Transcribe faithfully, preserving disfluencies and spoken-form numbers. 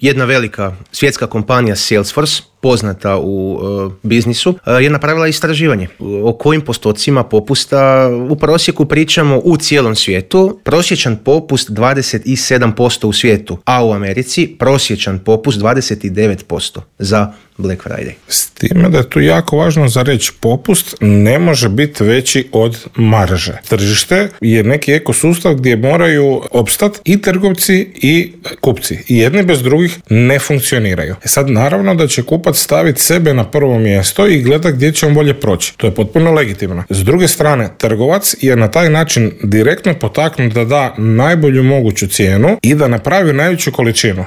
Jedna velika svjetska kompanija Salesforce, poznata u uh, biznisu, uh, je napravila istraživanje o kojim postocima popusta u prosjeku pričamo u cijelom svijetu. Prosječan popust dvadeset sedam posto u svijetu, a u Americi prosječan popust dvadeset devet posto za Black Friday. S time da je tu jako važno za reći, popust ne može biti veći od marže. Tržište je neki ekosustav gdje moraju opstati i trgovci i kupci. I jedni bez drugih ne funkcioniraju. E sad naravno da će kupac staviti sebe na prvo mjesto i gleda gdje će on bolje proći. To je potpuno legitimno. S druge strane, trgovac je na taj način direktno potaknut da da najbolju moguću cijenu i da napravi najveću količinu.